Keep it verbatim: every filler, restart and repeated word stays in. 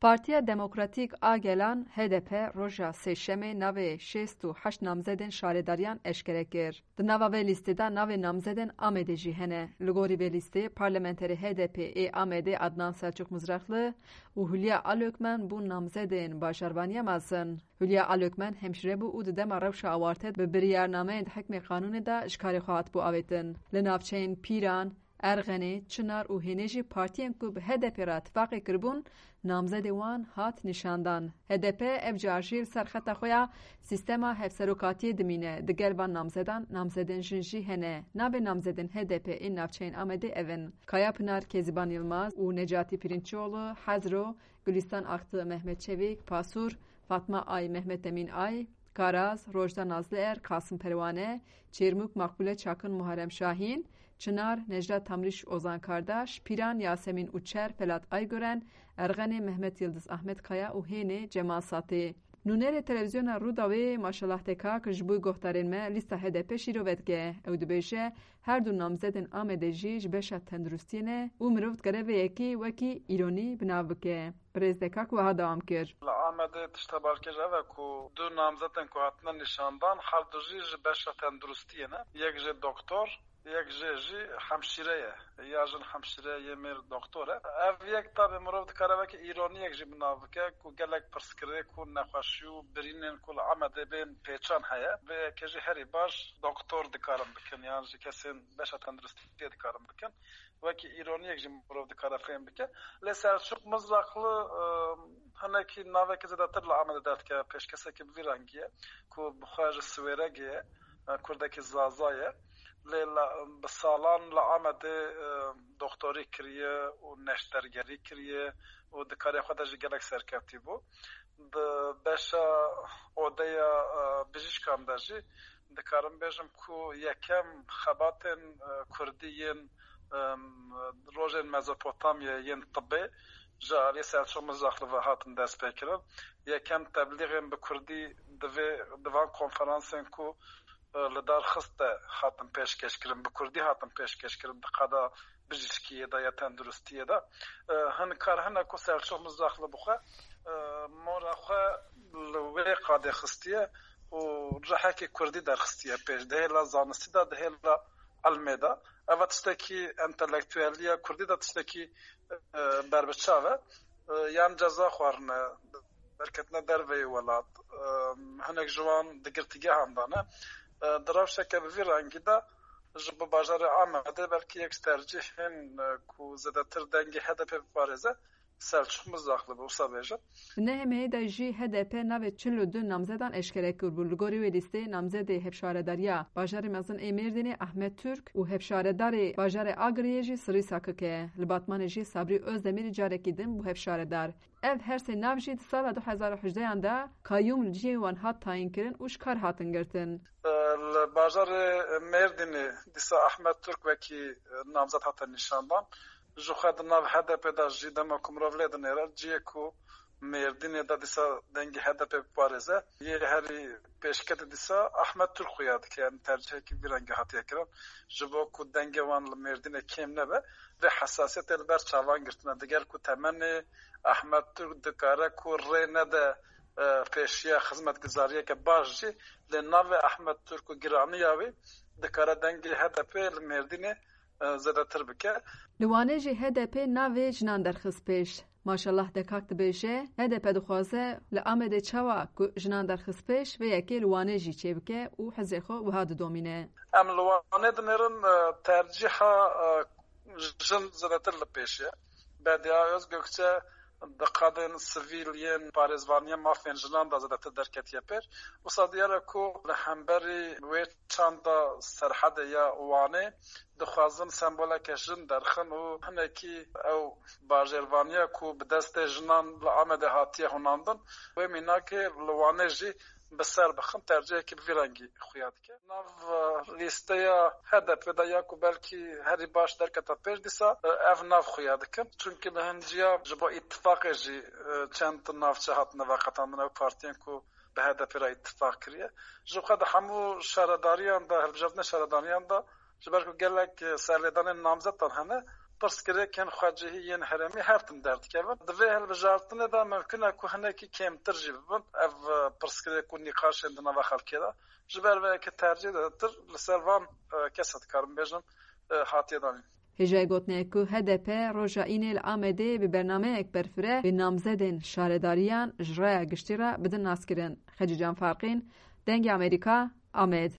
Partiya Demokratîk a Gelan, H D P, roja Sêşemê navê şêst û heşt namzedên şaredariyan eşkere kir. Di nava vê lîstê de navê namzedên Amedê jî hene. Li gorî vê lîstê, parlamenterê H D P ê Amedê Adnan Selçuk Mizrakli û Hülya Alökmen bûn namzedên bajarvaniya mezin. Hülya Alökmen hemşîre bû û di dema rewşa awarte bi biryarnameyên di hikmê qanûnê de ji karê xwe hatibû avêtin. Li navçeyên Pîran, Erxenê, Çinar û Hênê jî partiyên ku bi H D P re tifaqê kiribûn, namzedê wan hat nîşandan. H D P ev car jî li ser xeta xwe ya sîstema hevserokatiyê dimîne. Digel van namzedan, namzedên jin jî hene. Navê namzedên H D P ên navçeyên Amedê ev in: Kaya Pinar Kezîban Yilmaz û Necatî Pirinççioğlu, Hezro, Gulistan Aktı Mehmet Çevik, Pasûr, Fatma Ay Mehmet Emîn Ay, Karaz, Rojda Nazlıer, Kasım Perwane, Çêrmûk Makbule Çakın, Muharrem Şahîn, Çinar, Necla Tamrîş, Ozan Kardaş, Pîran, Yasemîn Uçer, Felat Aygören, Erxenê, Mehmet Yildiz, Ahmet Kaya û Hênê, Cemal Satê. Nûnerê televîzyona Rûdawê Maşallah Tekak ji bo guhdarên me lîsta H D P şîrove dike. Ew dibêje, her du namzedên Amedê jî ji beşa tenduristiyê ne û mirov dikare vê yekê wekî îronî bi nav bike. Birêz Dekak wiha dewam kir. Li Amedê tişta balkêş ev e ku du namzetên ku hatine nîşandan, her du jî ji beşa tenduristiyê ne. Yek jê doktor, yek jê jî hemşîre ye. Ya jin hemşîre ye, yê mêr doktor e. Ev yek tabî mirov dikare wekî îroniyek jî bi nav bike ku gelek pirsgirêk û nexweşî û birînên ku li Amedê bên pêçan heye. Vê yekê jî herî baş doktor dikarin bikin, yan jî kesên beşa tenduristiyê dikarin bikin. Wekî îroniyek jî mirov dikare fêm bike. Lê Selçuk Mizrakli, e, hinekî navekî zêdetir li Amedê derdikeve pêş, kesekî bi vî rengî ye ku bi xwe ji Siwêregê ye, e, kurdekî Zaza ye. Lê la, bi salan li Amedê, e, doktorî kiriye û neştergerî kiriye û di karê xwe de jî gelek serkevtî bû. Di beşa odeya, e, bijîşkan de jî dikarim bêjim ku yekem xebatên, e, kurdî yên, em, rojên Mezopotamyayê yên tibê ji alî Selçuk Mizrakli ve hatin destpêkirin. Yekem teblîxên bi kurdî di vê, di van konferansên ku, e, li dar xist de hatin pêşkêşkirin, bi kurdî hatin pêşkêşkirin di qada bijîşkiyê de ya tenduristiyê de. E, hin kar hene ku Selçuk Mizrakli bi xwe, e, mora xwe li wê qadê xistiye û rihekê kurdî derxistiye pêş. Di hêla zanistî de, di hêla ilmê de. Ev tiştekî entelektueliya kurdî de tiştekî, e, berbiçav e. E, yan ceza xwarine, derketine derveyê welat. E, hinek ji wan di girtîgehan de ne. E, di rewşeke bi vî rengî de ji bo bajarê Amedê belkî yek ji tercîhên, e, ku zêdetir dengê H D P biparêze, Selçuk Mizrakli bi wisa bêjin. Di nehê mehê de jî H D P navê çil û du namzedan eşkere kiribû. Li gorî wê lîsteyê namzedê hevşaredariya bajarê mezin ê Mêrdînê Ahmet Türk û hevşaredarê bajarê Agiriyê jî Sirî Sakik e. Li Batmanê jî Sabrî Ozdemirî carekî din bû hevşaredar. Ev her sê nav jî di sala du hezar û hejdehan de kayyûm li cihê wan hat tayînkirin û ji kar hatin girtin. Li bajarê Mêrdînê dîsa Ahmet Türk wekî namzet hate nîşandan. Ji xwe di nav H D P de jî dema ku mirov lê dinêre, cihê ku Mêrdînê de dîsa dengê H D P biparêze, yê herî pêşketî dîsa Ahmet Türk xuya dike, yanî tercihekî vî rengî hatiye kirin. Ji bo ku dengê wan li Mêrdînê kêm nebe, vê hesasiyetê li ber çavan girtine. Digel ku temenê Ahmet Türk dikare ku rê nede, e, pêşiya xizmetguzariyeke baş jî, lê navê Ahmet Türk û giraniya wî dikare dengê H D P li Mêrdînê, e, zêdetir bike. Li Wanê jî H D P navê jinan derxist pêş. Maşallah Dekak dibêje, H D P dixwaze li Amedê çawa ku jinan derxist pêş, vê yekê li Wanê jî çêbike û hizrê xwe wiha didomîne. Em li Wanê dinêrin, e, tercîha, e, jin zêdetir li pêş e. Bediye Özgökçe di qadên sivîl yên parêzvaniya mafên jinan de zêdetir derketiye pêş. Wisa diyar e ku li hemberî wê çanda Serhedê ya Wanê dixwazin semboleke jin derxin û hinekî ew bajêrvaniya ku bi destê jinan li Amedê hatiye hunandin, wê mînakê li Wanê jî bi ser bixin, tercihekî bi vî rengî xuya dike. Nav, e, lîsteya H D P de ya ku belkî herî baş derketa pêş dîsa, e, ev nav xuya dikin. Çunkî li hin ciya ji bo îtifaqê jî, e, çend navçe hatine veqetandin, ew partiyên ku bi H D P re îtifaq kiriye. Ji xwe di hemû şaredariyan de, hilbijartinê şaredariyan de, ji ber ku gelek, e, serlêdanên namzetan hene, pirsgirêkên xwecihî yên herêmî her tim derdikevin. Di vê hilbijartinê de mimkun e ku hinekî kêmtir jî bibin ev, e, pirsgirêk û nîqaşên di nava xelkê de. Ji ber vê yekê tercîh de tir li ser van, e, kese dikarim bêjim, e, hatiye danîn. Hêjayê gotinê ye ku H D P roja Înê li Amedê bi bernameyek berfireh bi namzedên şaredariyan ji raya giştî re bidin naskirin. Xecîcan Farqîn, Dengê Amerîka, Amed.